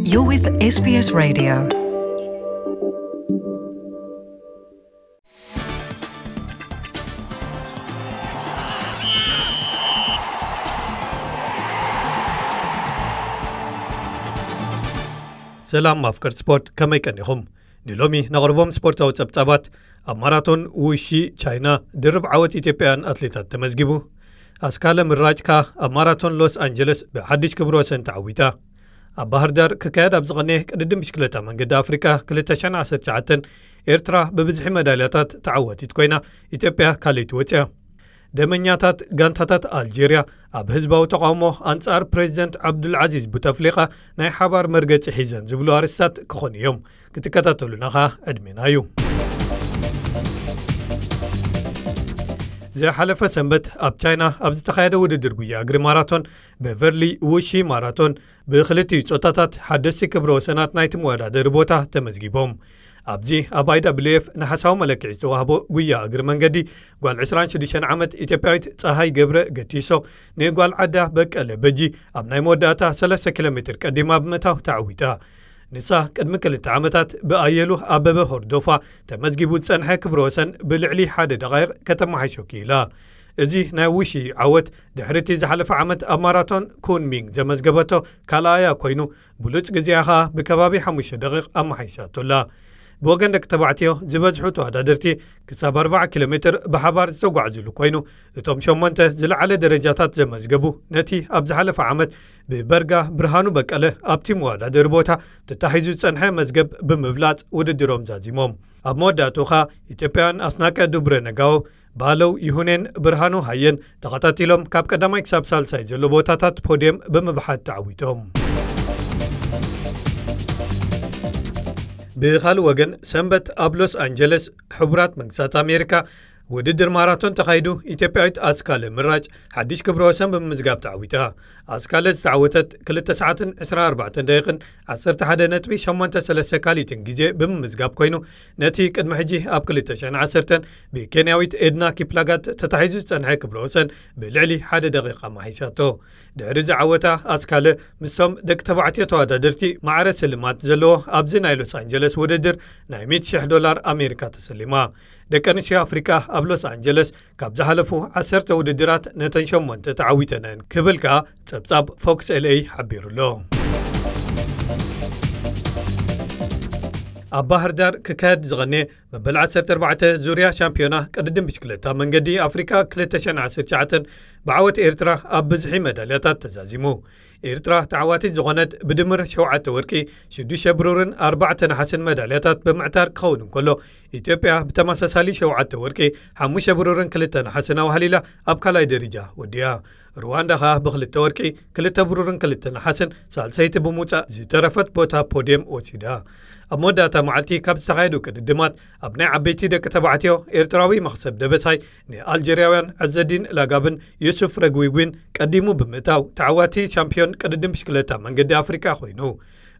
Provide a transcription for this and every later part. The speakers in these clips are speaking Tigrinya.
You're with S B S Radio. ሰላም ኣፍቀርቲ ስፖርት፣ ከመይ ቀኒኹም? ንሎሚ ነቕርቦም ስፖርታዊ ጸብጻባት፣ ኣብ ማራቶን ውሺ ቻይና ድርብ ዓወት ኢትዮጵያውያን ኣትሌታት ተመዝጊቡ። ኣስካለ ምራጭ ከኣ ኣብ ማራቶን ሎስ ኣንጀለስ ብሓድሽ ክብረ ወሰን ተዓዊታ። ኣብ ባህር ዳር ክካየድ ኣብ ዝቐነየ ቅድድም ብሽክለታ መንገዲ ኣፍሪቃ ክልተ ሽሕን ዓሰርተ ትሽዓተን፣ ኤርትራ ብብዝሒ መዳልያታት ተዓዋቲት ኮይና፣ ኢትዮጵያ ካልኣይቲ ወጽያ። ደመኛታት ጋንታታት ኣልጀርያ ኣብ ህዝባዊ ተቓውሞ ኣንጻር ፕሬዚደንት ዓብዱልዓዚዝ ቡተፍሊቃ ናይ ሓባር መርገጺ ሒዘን ዝብሉ ኣርእስታት ክኾኑ እዮም። ክትከታተሉና ኸኣ ዕድሜና እዩ። ዝሓለፈ ሰንበት ኣብ ቻይና ኣብ ዝተኻየደ ውድድር ጉያ እግሪ ማራቶን፣ ቤቨርሊ ውሺ ማራቶን፣ ብክልቲኡ ጾታታት ሓደስቲ ክብረ ወሰናት ናይቲ መወዳደሪ ቦታ ተመዝጊቦም። ኣብዚ ኣብ ኣይ ደብሊው ኤፍ ነሓሳዊ መለክዒ ዝተዋህቦ ጉያ እግሪ መንገዲ፣ ጓል ዕስራን ሽዱሽተን ዓመት ኢትዮጵያዊት ጸሃይ ገብረ ገቲሶ ንጓል ዓዳ በቀለ በጂ ኣብ ናይ መወዳእታ ሰለስተ ኪሎ ሜትር ቀዲማ ብምእታው ተዓዊታ። ንሳ ቅድሚ ክልተ ዓመታት ብኣየሉ ኣበበ ሆርዶፋ ተመዝጊቡ ዝጸንሐ ክብረ ወሰን ብልዕሊ ሓደ ደቓይቕ ከተመሓይሾ ክኢላ። እዚ ናይ ውሺ ዓወት ድሕሪ እቲ ዝሓለፈ ዓመት ኣብ ማራቶን ኩንሚንግ ዘመዝገበቶ ካልኣያ ኮይኑ፣ ብሉጽ ግዜኣ ኸኣ ብከባቢ ሓሙሽተ ደቒቕ ኣመሓይሻቶ ኣላ። ብወገን ደቂ ተባዕትዮ ዝበዝሑ ተወዳደርቲ ክሳብ ኣርባዓ ኪሎ ሜትር ብሓባር ዝተጓዕዝሉ ኮይኑ፣ እቶም ሸሞንተ ዝለዓለ ደረጃታት ዘመዝገቡ ነቲ ኣብ ዝሓለፈ ዓመት ብበርጋ ብርሃኑ በቀለ ኣብቲ መወዳደሪ ቦታ ተታሒዙ ዝጸንሐ መዝገብ ብምብላጽ ውድድሮም ዛዚሞም። ኣብ መወዳእትኡ ኸኣ ኢትዮጵያውያን ኣስናቀ ዱብረ ነጋዎ፣ ባለው ይሁኔን ብርሃኑ ሃየን ተኸታቲሎም ካብ ቀዳማይ ክሳብ ሳልሳይ ዘሎ ቦታታት ፖድየም ብምብሓት ተዓዊቶም። ብኻልእ ወገን፣ ሰንበት ኣብ ሎስ ኣንጀለስ ሕቡራት መንግስታት ኣሜሪካ ውድድር ማራቶን ተኻይዱ፣ ኢትዮጵያዊት ኣስካለ ምራጭ ሓድሽ ክብረ ወሰን ብምምዝጋብ ተዓዊታ። ኣስካለ ዝተዓወተት ክልተ ሰዓትን ዕስራን ኣርባዕተን ደቂቕን ዓሰርተ ሓደ ነጥቢ ሸሞንተ ሰለስተ ካሊትን ግዜ ብምምዝጋብ ኮይኑ፣ ነቲ ቅድሚ ሕጂ ኣብ ክልተ ሽሕን ዓሰርተን ብኬንያዊት ኤድና ኪፕላጋት ተታሒዙ ዝጸንሐ ክብረ ወሰን ብልዕሊ ሓደ ደቂቕ ኣመሓይሻቶ። ድሕሪ እዚ ዓወታ ኣስካለ ምስቶም ደቂ ተባዕትዮ ተወዳደርቲ ማዕረ ስልማት ዘለዎ ኣብዚ ናይ ሎስ ኣንጀለስ ውድድር ናይ ሚእቲ ሽሕ ዶላር ኣሜሪካ ተሰሊማ። ደቂ ኣንስትዮ ኣፍሪቃ ኣብ ሎስ ኣንጀለስ ካብ ዝሓለፉ ዓሰርተ ውድድራት ነተን ሸሞንተ ተዓዊተን እየን ክብል ከኣ ጸብጻብ ፎክስ ኤልኤ ሓቢሩ ኣሎ። ኣብ ባህር ዳር ክካየድ ዝቐነየ መበል ዓሰርተ ኣርባዕተ ዙርያ ሻምፒዮና ቅድድም ብሽክለታ መንገዲ ኣፍሪካ ክልተ ሽሕን ዓሰርተ ትሽዓተን ብዓወት ኤርትራ ኣብ ብዝሒ መዳልያታት ተዛዚሙ። ኤርትራ ተዓዋቲት ዝኾነት ብድምር ሸውዓተ ወርቂ፣ ሽዱሽተ ብሩርን ኣርባዕተ ነሓስን መዳልያታት ብምዕታር ክኸውን እንከሎ፣ ኢትዮጵያ ብተመሳሳሊ ሸውዓተ ወርቂ፣ ሓሙሽተ ብሩርን ክልተ ነሓስን ኣዋህሊላ ኣብ ካልኣይ ደረጃ ወዲኣ። ሩዋንዳ ኸኣ ብክልተ ወርቂ፣ ክልተ ብሩርን ክልተ ነሓስን ሳልሰይቲ ብምውጻእ ዝተረፈት ቦታ ፖድየም ወሲዳ። ኣብ መወዳእታ መዓልቲ ካብ ዝተኻየዱ ቅድድማት፣ ኣብ ናይ ዓበይቲ ደቂ ተባዕትዮ ኤርትራዊ መኽሰብ ደበሳይ ንኣልጀርያውያን ዐዘዲን ላጋብን ዩሱፍ ረግዊጉን ቀዲሙ ብምእታው ተዓዋቲ ሻምፒዮን ቅድድም ብሽክለታ መንገዲ ኣፍሪቃ ኮይኑ።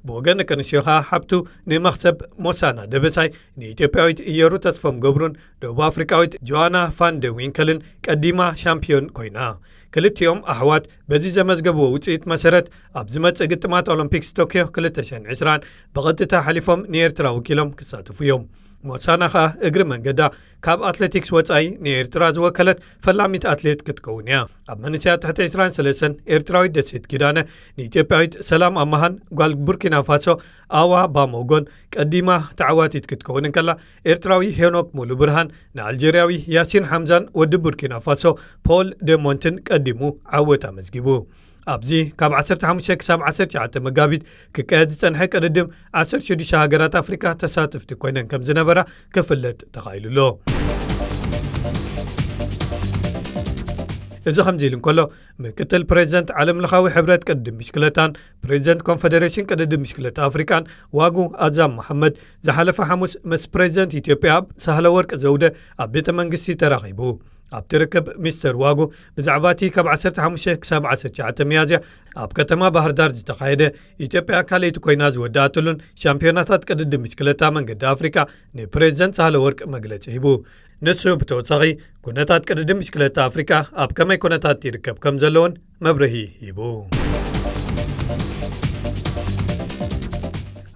ብወገን ደቂ ኣንስትዮ ኸኣ ሓብቱ ንመኽሰብ ሞሳና ደበሳይ ንኢትዮጵያዊት እየሩ ተስፎም ገብሩን ደቡብ ኣፍሪቃዊት ጆዋና ፋን ደ ዊንከልን ቀዲማ ሻምፒዮን ኮይና። ክልቲኦም ኣሕዋት በዚ ዘመዝገብዎ ውጽኢት መሰረት ኣብ ዝመጽእ ግጥማት ኦሎምፒክስ ቶክዮ ክልተ ሽሕን ዕስራን ብቐጥታ ሓሊፎም ንኤርትራ ወኪሎም ክሳተፉ እዮም። ሞሳና ኸኣ እግሪ መንገዳ ካብ ኣትሌቲክስ ወጻኢ ንኤርትራ ዝወከለት ፈላሚት ኣትሌት ክትከውን እያ። ኣብ መንእሰያት ትሕቲ ዕስራን ሰለስተን ኤርትራዊት ደሴት ኪዳነ ንኢትዮጵያዊት ሰላም ኣማሃን ጓል ቡርኪና ፋሶ ኣዋ ባሞጎን ቀዲማ ተዓዋቲት ክትከውን እንከላ፣ ኤርትራዊ ሄኖክ ሙሉ ብርሃን ንኣልጀርያዊ ያሲን ሓምዛን ወዲ ቡርኪና ፋሶ ፖል ደሞንትን ቀዲሙ ዓወት ኣመዝጊቡ። ኣብዚ ካብ ዓሰርተ ሓሙሽተ ክሳብ ዓሰርተ ትሽዓተ መጋቢት ክካየድ ዝጸንሐ ቅድድም ዓሰርተ ሽዱሽተ ሃገራት ኣፍሪካ ተሳተፍቲ ኮይነን ከም ዝነበራ ክፍለጥ ተኻኢሉ ኣሎ። እዚ ከምዚ ኢሉ እንከሎ፣ ምክትል ፕሬዚደንት ዓለምለኻዊ ሕብረት ቅድድም ብሽክለታን ፕሬዚደንት ኮንፈደሬሽን ቅድድም ብሽክለታ ኣፍሪቃን ዋጉ ኣዛም መሓመድ ዝሓለፈ ሓሙስ ምስ ፕሬዚደንት ኢትዮጵያ ሳህለ ወርቅ ዘውደ ኣብ ቤተ መንግስቲ ተራኺቡ። ኣብቲ ርክብ ሚስተር ዋጉ ብዛዕባ እቲ ካብ ዓሰርተ ሓሙሽተ ክሳብ ዓሰርተ ትሽዓተ ሚያዝያ ኣብ ከተማ ባህር ዳር ዝተኻየደ ኢትዮጵያ ካልኣይቲ ኮይና ዝወደኣትሉን ሻምፒዮናታት ቅድድም ብሽክለታ መንገዲ ኣፍሪቃ ንፕሬዚደንት ሳህለ ወርቅ መግለጺ ሂቡ። ንሱ ብተወሳኺ ኩነታት ቅድድም ብሽክለታ ኣፍሪቃ ኣብ ከመይ ኩነታት ይርከብ ከም ዘለውን መብርሂ ሂቡ።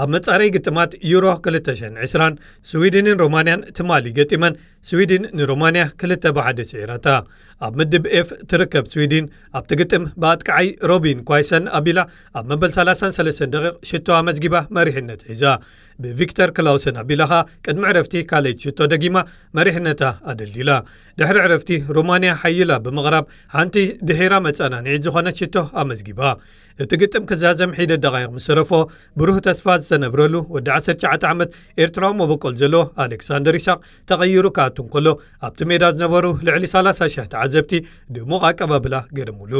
ኣብ መጻረይ ግጥማት ዩሮ ክልተ ሽሕን ዕስራን፣ ስዊድንን ሮማንያን ትማሊ ገጢመን፣ ስዊድን ንሮማንያ ክልተ ብ ሓደ ስዒራታ። ኣብ ምድብ ኤፍ ትርከብ ስዊድን፣ ኣብቲ ግጥም ብኣጥቃዓይ ሮቢን ኳይሰን ኣቢላ፣ ኣብ መበል ሰላሳን ሰለስተን ደቂቕ ሽቶ ኣመዝጊባ መሪሕነት ሒዛ። ብቪክተር ክላውሰን ኣቢላ ኸኣ ቅድሚ ዕረፍቲ ካልኣይቲ ሽቶ ደጊማ መሪሕነታ ኣደልዲላ። ድሕሪ ዕረፍቲ ሮማንያ ሓይላ ብምቕራብ ሓንቲ ድሒራ መጸናንዒት ዝኾነት ሽቶ ኣመዝጊባ። እቲ ግጥም ክዛዘም ሒደት ደቓይቕ ምስ ተረፎ ብሩህ ተስፋ ዝተነብረሉ ወዲ ዓሰርተ ትሽዓተ ዓመት ኤርትራዊ መበቆል ዘለዎ ኣሌክሳንደር ይስሐቅ ተቐይሩ ክኣቱ እንከሎ ኣብቲ ሜዳ ዝነበሩ ልዕሊ ሰላሳ ሽሕ ተዓዘብቲ ድሙቕ ኣቀባብላ ገረሙሉ።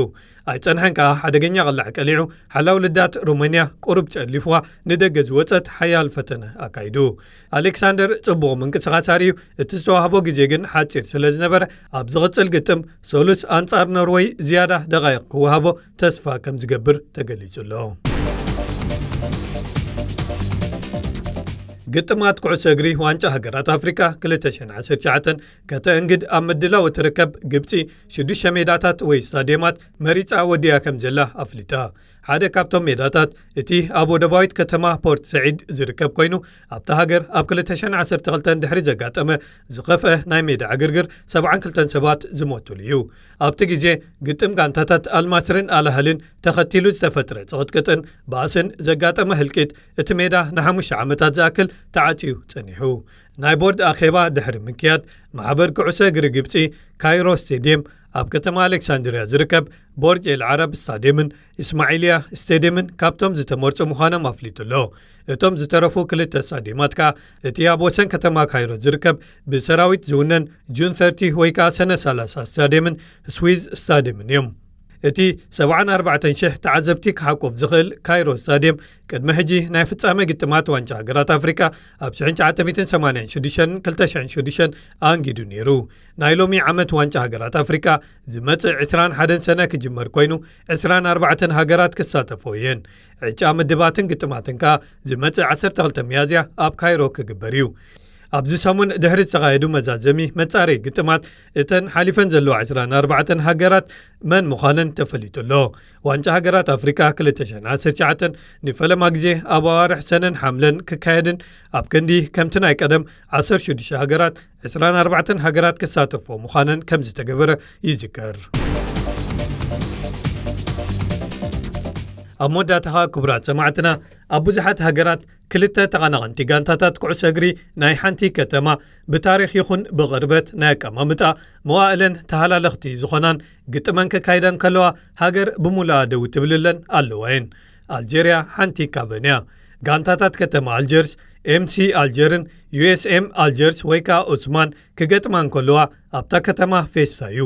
ኣይጸንሐን ከኣ ሓደገኛ ቅላዕ ቀሊዑ ሓላው ልዳት ሮማንያ ቁሩብ ጨሊፍዋ ንደገ ዝወጸት ሓያል ፈተነ ኣካይዱ። ኣሌክሳንደር ጽቡቕ ምንቅስቓስ ኣርእዩ እቲ ዝተዋህቦ ግዜ ግን ሓጺር ስለ ዝነበረ ኣብ ዝቕጽል ግጥም ሰሉስ ኣንጻር ኖርወይ ዝያዳ ደቓይቕ ክወሃቦ ተስፋ ከም ዝገብር ተገሊጹ ኣሎ። ግጥማት ኩዕሶ እግሪ ዋንጫ ሃገራት ኣፍሪካ ክልተ ሽሕን ዓሰርተ ትሽዓተን ከተእንግድ ኣብ ምድላው እትርከብ ግብጺ ሽዱሽተ ሜዳታት ወይ ስታድየማት መሪጻ ወዲኣ ከም ዘላ ኣፍሊጣ። ሓደ ካብቶም ሜዳታት እቲ ኣብ ወደባዊት ከተማ ፖርት ሰዒድ ዝርከብ ኮይኑ ኣብታ ሃገር ኣብ ክልተ ሽሕን ዓሰርተ ክልተን ድሕሪ ዘጋጠመ ዝኸፍአ ናይ ሜዳ ዕግርግር ሰብዓን ክልተን ሰባት ዝሞቱሉ እዩ። ኣብቲ ግዜ ግጥም ጋንታታት ኣልማስርን ኣልኣህልን ተኸቲሉ ዝተፈጥረ ጽቕጥቅጥን ባእስን ዘጋጠመ ህልቂት እቲ ሜዳ ንሓሙሽተ ዓመታት ዝኣክል ተዓጽዩ ጸኒሑ። ናይ ቦርድ ኣኼባ ድሕሪ ምክያድ ማሕበር ኩዕሶ እግሪ ግብጺ ካይሮ ስቴድየም ኣብ ከተማ ኣሌክሳንድርያ ዝርከብ ቦርጅ ኤል ዓረብ ስታድየምን እስማዒልያ ስቴድየምን ካብቶም ዝተመርጹ ምዃኖም ኣፍሊጡ ኣሎ። እቶም ዝተረፉ ክልተ ስታድየማት ከኣ እቲ ኣብ ወሰን ከተማ ካይሮ ዝርከብ ብሰራዊት ዝውነን ጁን ሰርቲ ወይ ከኣ ሰነ ሰላሳ ስታድየምን ስዊዝ ስታድየምን እዮም። እቲ ሰብዓን ኣርባዕተን ሽሕ ተዓዘብቲ ክሓቁፍ ዝኽእል ካይሮ ስታድየም ቅድሚ ሕጂ ናይ ፍጻመ ግጥማት ዋንጫ ሃገራት ኣፍሪካ ኣብ ሽሕን ትሽዓተ ሚእትን ሰማንያን ሽዱሽተን ክልተ ሽሕን ሽዱሽተን ኣንጊዱ ነይሩ። ናይ ሎሚ ዓመት ዋንጫ ሃገራት ኣፍሪካ ዝመጽእ ዕስራን ሓደን ሰነ ክጅመር ኮይኑ ዕስራን ኣርባዕተን ሃገራት ክሳተፎ እየን። ዕጫ ምድባትን ግጥማትን ከኣ ዝመጽእ ዓሰርተ ክልተ ሚያዝያ ኣብ ካይሮ ክግበር እዩ። ኣብዚ ሰሙን ድሕሪ ዝተኻየዱ መዛዘሚ መጻረይ ግጥማት እተን ሓሊፈን ዘለዋ ዕስራን ኣርባዕተን ሃገራት መን ምዃነን ተፈሊጡ ኣሎ። ዋንጫ ሃገራት ኣፍሪካ ክልተ ሽሕን ዓሰርተ ትሽዓተን ንፈለማ ግዜ ኣብ ኣዋርሕ ሰነን ሓምለን ክካየድን ኣብ ክንዲ ከምቲ ናይ ቀደም ዓሰርተ ሽዱሽተ ሃገራት ዕስራን ኣርባዕተን ሃገራት ክሳተፎ ምዃነን ከም ዝተገበረ ይዝከር። ኣብ መወዳእታ ኸኣ ክቡራት ሰማዕትና ኣብ ብዙሓት ሃገራት ክልተ ተቐናቐንቲ ጋንታታት ኩዕሶ እግሪ ናይ ሓንቲ ከተማ ብታሪኽ ይኹን ብቕርበት ናይ ኣቀማምጣ መዋእለን ተሃላለኽቲ ዝኾናን ግጥመን ከካይዳ እንከለዋ ሃገር ብምሉኣ ደው ትብልለን ኣለዋ እየን። ኣልጀርያ ሓንቲ ካብአን እያ። ጋንታታት ከተማ ኣልጀርስ ኤምሲ ኣልጀርን ዩኤስኤም ኣልጀርስ ወይ ከኣ ዑስማን ክገጥማ እንከለዋ ኣብታ ከተማ ፌስታ እዩ።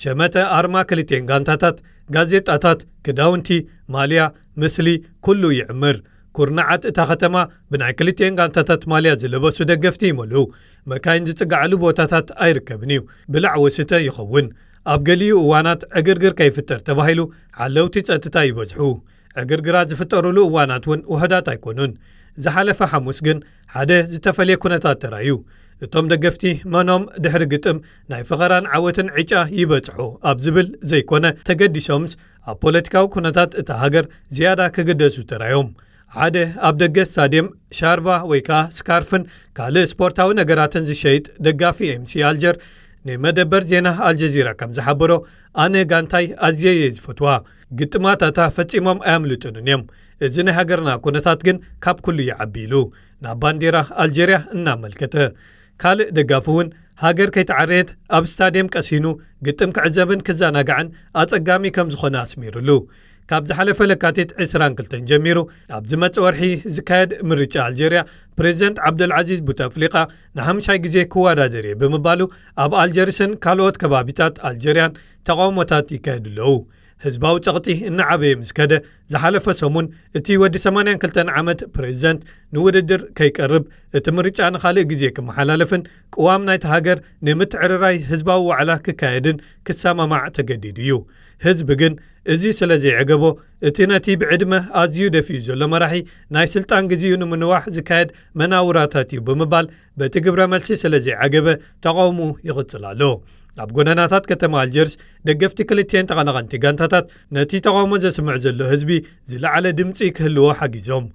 ሸመተ ኣርማ ክልቲኤን ጋንታታት፣ ጋዜጣታት፣ ክዳውንቲ፣ ማልያ፣ ምስሊ፣ ኩሉ ይዕምር። ኩርናዓት እታ ከተማ ብናይ ክልቲኤን ጋንታታት ማልያ ዝለበሱ ደገፍቲ ይመልኡ። መካይን ዝጽግዓሉ ቦታታት ኣይርከብን እዩ። ብላዕ ወስተ ይኸውን። ኣብ ገሊኡ እዋናት ዕግርግር ከይፍጠር ተባሂሉ ሓለውቲ ጸጥታ ይበዝሑ። ዕግርግራት ዝፍጠሩሉ እዋናት እውን ውሑዳት ኣይኮኑን። ዝሓለፈ ሓሙስ ግን ሓደ ዝተፈልየ ኩነታት ተራእዩ። እቶም ደገፍቲ መኖም ድሕሪ ግጥም ናይ ፈኸራን ዓወትን ዕጫ ይበጽሑ ኣብ ዝብል ዘይኮነ ተገዲሶምስ ኣብ ፖለቲካዊ ኩነታት እታ ሃገር ዝያዳ ክግደሱ ተራዮም። ሓደ ኣብ ደገ ስታድየም ሻርባ ወይ ከኣ ስካርፍን ካልእ ስፖርታዊ ነገራትን ዝሸይጥ ደጋፊ ኤምሲ ኣልጀር ንመደበር ዜና ኣልጀዚራ ከም ዝሓበሮ ኣነ ጋንታይ ኣዝየ እየ ዝፈትዋ። ግጥማታታ ፈጺሞም ኣያምልጡንን እዮም። እዚ ናይ ሃገርና ኩነታት ግን ካብ ኩሉ ይዓቢ ኢሉ ናብ ባንዴራ ኣልጀርያ እናመልከተ። ካልእ ደጋፊ እውን ሃገር ከይተዓረየት ኣብ ስታድየም ቀሲኑ ግጥም ክዕዘብን ክዘናጋዕን ኣጸጋሚ ከም ዝኾነ ኣስሚሩሉ። ካብ ዝሓለፈ ለካቲት ዕስራን ክልተን ጀሚሩ ኣብ ዝመጽእ ወርሒ ዝካየድ ምርጫ ኣልጀርያ ፕሬዚደንት ዓብደልዓዚዝ ቡተፍሊቃ ንሓምሻይ ግዜ ክወዳደር እየ ብምባሉ ኣብ ኣልጀርስን ካልኦት ከባቢታት ኣልጀርያን ተቓውሞታት ይካየዱ ኣለዉ። ህዝባዊ ጸቕጢ እናዓበየ ምስ ከደ ዝሓለፈ ሰሙን እቲ ወዲ ሰማንያን ክልተን ዓመት ፕሬዚደንት ንውድድር ከይቀርብ እቲ ምርጫ ንኻልእ ግዜ ክመሓላለፍን ቅዋም ናይቲ ሃገር ንምትዕርራይ ህዝባዊ ዋዕላ ክካየድን ክሰማማዕ ተገዲዱ እዩ። ህዝቢ ግን እዚ ስለ ዘይዐገቦ እቲ ነቲ ብዕድመ ኣዝዩ ደፊኡ ዘሎ መራሒ ናይ ስልጣን ግዜኡ ንምንዋሕ ዝካየድ መናውራታት እዩ ብምባል በቲ ግብረ መልሲ ስለ ዘይዓገበ ተቓውሞ ይቕጽል ኣሎ። ኣብ ጎደናታት ከተማ ኣልጀርስ ደገፍቲ ክልቲኤን ተቐናቐንቲ ጋንታታት ነቲ ተቓውሞ ዘስምዕ ዘሎ ህዝቢ ዝለዓለ ድምጺ ክህልዎ ሓጊዞም።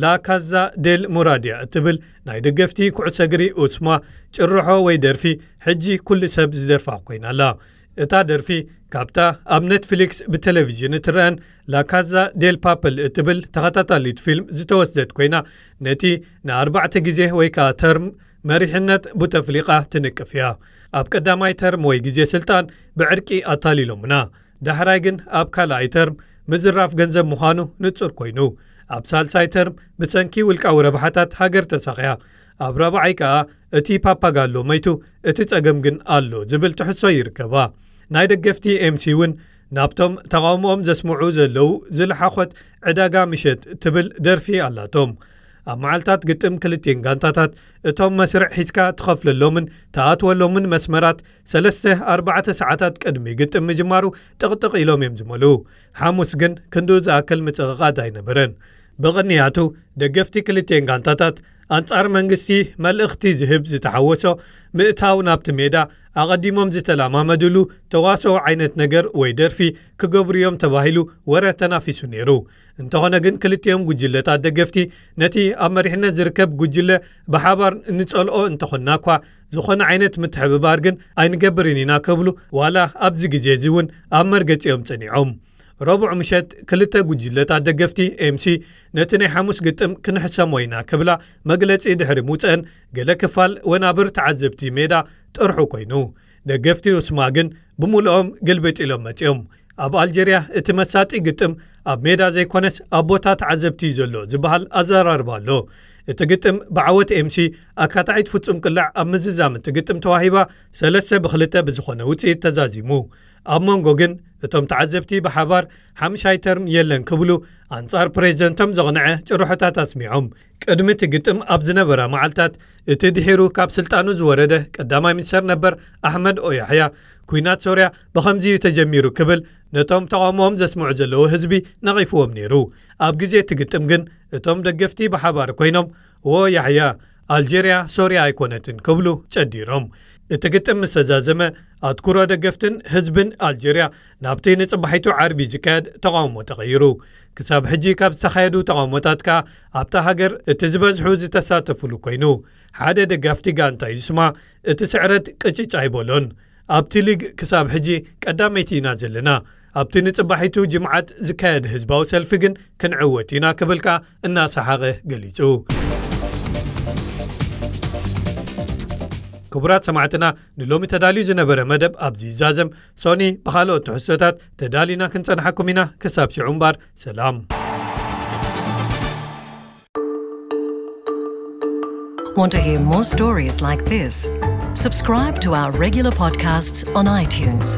ላካዛ ዴል ሙራድያ እትብል ናይ ደገፍቲ ኩዕሶ እግሪ ኡስማ ጭርሖ ወይ ደርፊ ሕጂ ኩሉ ሰብ ዝደርፋ ኮይና ኣላ። እታ ደርፊ ካብታ ኣብ ኔትፍሊክስ ብቴሌቪዥን እትረአን ላካዛ ዴል ፓፕል እትብል ተኸታታሊት ፊልም ዝተወስደት ኮይና፣ ነቲ ንኣርባዕተ ግዜ ወይ ከኣ ተርም መሪሕነት ቡተፍሊቃ ትንቅፍ እያ። ኣብ ቀዳማይ ተርም ወይ ግዜ ስልጣን ብዕርቂ ኣታሊሎምና። ዳሕራይ ግን ኣብ ካልኣይ ተርም ምዝራፍ ገንዘብ ምዃኑ ንጹር ኮይኑ፣ ኣብ ሳልሳይ ተርም ብሰንኪ ውልቃዊ ረብሓታት ሃገር ተሳቕያ፣ ኣብ ራብዓይ ከኣ እቲ ፓፓጋሎ መይቱ፣ እቲ ጸገም ግን ኣሎ ዝብል ትሕሶ ይርከባ። ናይ ደገፍቲ ኤምሲ እውን ናብቶም ተቓውሞኦም ዘስምዑ ዘለዉ ዝለሓኾት ዕዳጋ ምሸት ትብል ደርፊ ኣላቶም። ኣብ መዓልታት ግጥም ክልቲኤን ጋንታታት እቶም መስርዕ ሒዝካ ትኸፍለሎምን ትኣትወሎምን መስመራት ሰለስተ ኣርባዕተ ሰዓታት ቅድሚ ግጥም ምጅማሩ ጥቕጥቕ ኢሎም እዮም ዝመልኡ። ሓሙስ ግን ክንድኡ ዝኣክል ምጽቕቓድ ኣይነበረን። ብቕንያቱ ደገፍቲ ክልቲኤን ጋንታታት ኣንጻር መንግስቲ መልእኽቲ ዝህብ ዝተሓወሶ ምእታው ናብቲ ሜዳ ኣቐዲሞም ዝተለማመድሉ ተዋስኦ ዓይነት ነገር ወይ ደርፊ ክገብሩ እዮም ተባሂሉ ወረ ተናፊሱ ነይሩ። እንተኾነ ግን ክልቲኦም ጉጅለታት ደገፍቲ ነቲ ኣብ መሪሕነት ዝርከብ ጉጅለ ብሓባር ንጸልኦ እንተኾንና እኳ ዝኾነ ዓይነት ምትሕብባር ግን ኣይንገብርን ኢና ክብሉ ዋላ ኣብዚ ግዜ እዚ እውን ኣብ መርገጺኦም ጸኒዖም። ረቡዕ ምሸት ክልተ ጉጅለታት ደገፍቲ ኤምሲ ነቲ ናይ ሓሙስ ግጥም ክንሕሰሞ ኢና ክብላ መግለጺ ድሕሪ ምውጸአን ገለ ክፋል ወናብር ተዓዘብቲ ሜዳ ጥርሑ ኮይኑ። ደገፍቲ ኡስማ ግን ብምልኦም ግልብጥ ኢሎም መጺኦም። ኣብ ኣልጀርያ እቲ መሳጢ ግጥም ኣብ ሜዳ ዘይኮነስ ኣብ ቦታ ተዓዘብቲ እዩ ዘሎ ዝበሃል ኣዘራርባ ኣሎ። እቲ ግጥም ብዓወት ኤምሲ ኣካታዒት ፍጹም ቅላዕ ኣብ ምዝዛም እቲ ግጥም ተዋሂባ ሰለስተ ብክልተ ብዝኾነ ውጽኢት ተዛዚሙ። ኣብ መንጎ ግን እቶም ተዓዘብቲ ብሓባር ሓምሻይ ተርም የለን ክብሉ ኣንጻር ፕሬዚደንቶም ዘቕንዐ ጭርሖታት ኣስሚዖም። ቅድሚ እቲ ግጥም ኣብ ዝነበራ መዓልታት እቲ ድሒሩ ካብ ስልጣኑ ዝወረደ ቀዳማይ ሚኒስተር ነበር ኣሕመድ ኦያሕያ፣ ኲናት ሶርያ ብኸምዚ እዩ ተጀሚሩ ክብል ነቶም ተቓውሞኦም ዘስምዑ ዘለዉ ህዝቢ ነቒፍዎም ነይሩ። ኣብ ግዜ እቲ ግጥም ግን እቶም ደገፍቲ ብሓባር ኮይኖም፣ "ዎ ያሕያ፣ ኣልጀርያ ሶርያ ኣይኮነትን" ክብሉ ጨዲሮም። እቲ ግጥም ምስ ተዛዘመ፣ ኣትኩሮ ደገፍትን ህዝብን ኣልጀርያ ናብቲ ንጽባሒቱ ዓርቢ ዝካየድ ተቓውሞ ተቐይሩ። ክሳብ ሕጂ ካብ ዝተኻየዱ ተቓውሞታት ከኣ ኣብታ ሃገር እቲ ዝበዝሑ ዝተሳተፉሉ ኮይኑ፣ ሓደ ደጋፍቲ ጋንታ ዩስማ እቲ ስዕረት ቅጭጭ ኣይበሎን። ኣብቲ ሊግ ክሳብ ሕጂ ቀዳመይቲ ኢና ዘለና። ኣብቲ ንጽባሒቱ ጅምዓት ዝካየድ ህዝባዊ ሰልፊ ግን ክንዕወት ኢና ክብል ከኣ እናሰሓቐ ገሊጹ። ክቡራት ሰማዕትና፣ ንሎሚ ተዳልዩ ዝነበረ መደብ ኣብዚ ይዛዘም። ሶኒ ብኻልኦት ትሕዝቶታት ተዳሊና ክንጸንሓኩም ኢና። ክሳብ ሽዑ እምበር ሰላም። Want to hear more stories like this? Subscribe to our regular podcasts on iTunes.